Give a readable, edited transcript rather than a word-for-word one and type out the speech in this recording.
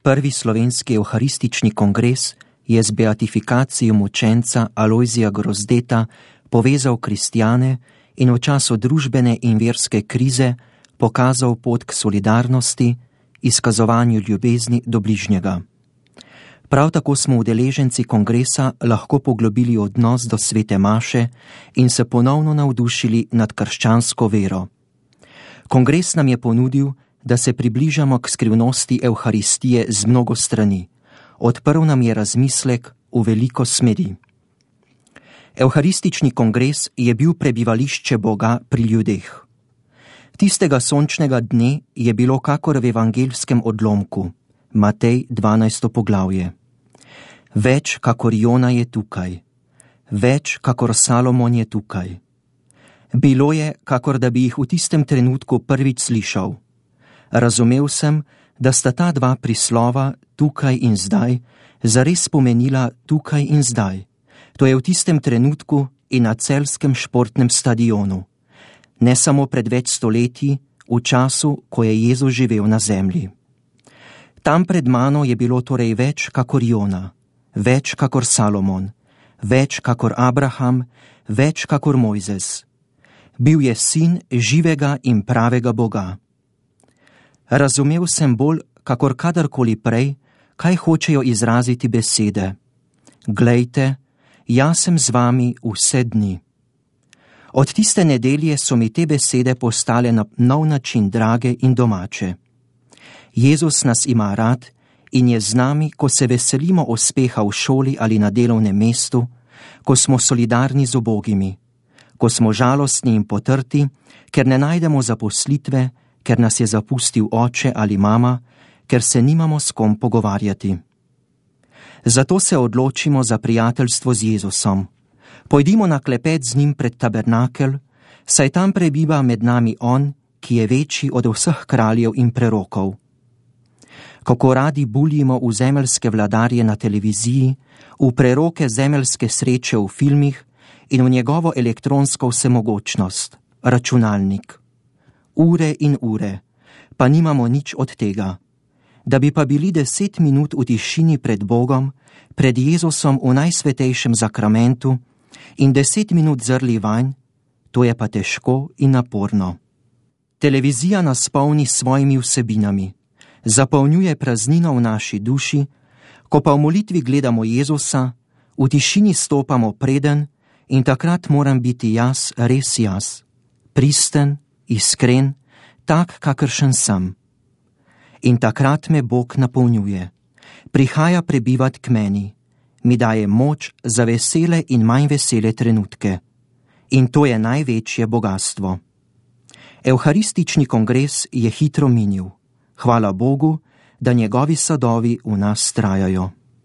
Prvi slovenski evharistični kongres je z beatifikacijo mučenca Alojzija Grozdeta povezal kristjane in v času družbene in verske krize pokazal pot k solidarnosti, izkazovanju ljubezni do bližnjega. Prav tako smo udeleženci kongresa lahko poglobili odnos do svete maše in se ponovno navdušili nad krščansko vero. Kongres nam je ponudil, da se približamo k skrivnosti Evharistije z mnogo strani. Odprl nam je razmislek v veliko smeri. Evharistični kongres je bil prebivališče Boga pri ljudeh. Tistega sončnega dne je bilo kakor v evangeljskem odlomku, Matej 12. poglavje. Več kakor Jona je tukaj, več kakor Salomon je tukaj. Bilo je, kakor da bi jih v tistem trenutku prvič slišal. Razumel sem, da sta ta dva prislova, tukaj in zdaj, zares pomenila tukaj in zdaj. To je v tistem trenutku in na celjskem športnem stadionu. Ne samo pred več stoletji, v času, ko je Jezus živel na zemlji. Tam pred mano je bilo torej več kakor Jona, več kakor Salomon, več kakor Abraham, več kakor Mojzes. Bil je sin živega in pravega Boga. Razumel sem bolj, kakor kadarkoli prej, kaj hočejo izraziti besede. Glejte, jaz sem z vami vse dni. Od tiste nedelje so mi te besede postale na nov način drage in domače. Jezus nas ima rad in je z nami, ko se veselimo uspeha v šoli ali na delovnem mestu, ko smo solidarni z ubogimi, ko smo žalostni in potrti, ker ne najdemo zaposlitve, ker nas je zapustil oče ali mama, ker se nimamo s kom pogovarjati. Zato se odločimo za prijateljstvo z Jezusom. Pojdimo na klepet z njim pred tabernakel, saj tam prebiva med nami on, ki je večji od vseh kraljev in prerokov. Kako radi buljimo v zemeljske vladarje na televiziji, v preroke zemeljske sreče v filmih in v njegovo elektronsko vsemogočnost, računalnik. Ure in ure, pa nimamo nič od tega. Da bi pa bili 10 minut v tišini pred Bogom, pred Jezusom v najsvetejšem zakramentu in 10 minut zrli vanj, to je pa težko in naporno. Televizija nas polni s svojimi vsebinami, zapolnjuje praznino v naši duši, ko pa v molitvi gledamo Jezusa, v tišini stopamo preden in takrat moram biti jaz res jaz, pristen, iskren, tak, kakršen sem. In takrat me Bog napolnjuje, prihaja prebivat k meni, mi daje moč za vesele in manj vesele trenutke. In to je največje bogastvo. Evharistični kongres je hitro minil. Hvala Bogu, da njegovi sadovi v nas trajajo.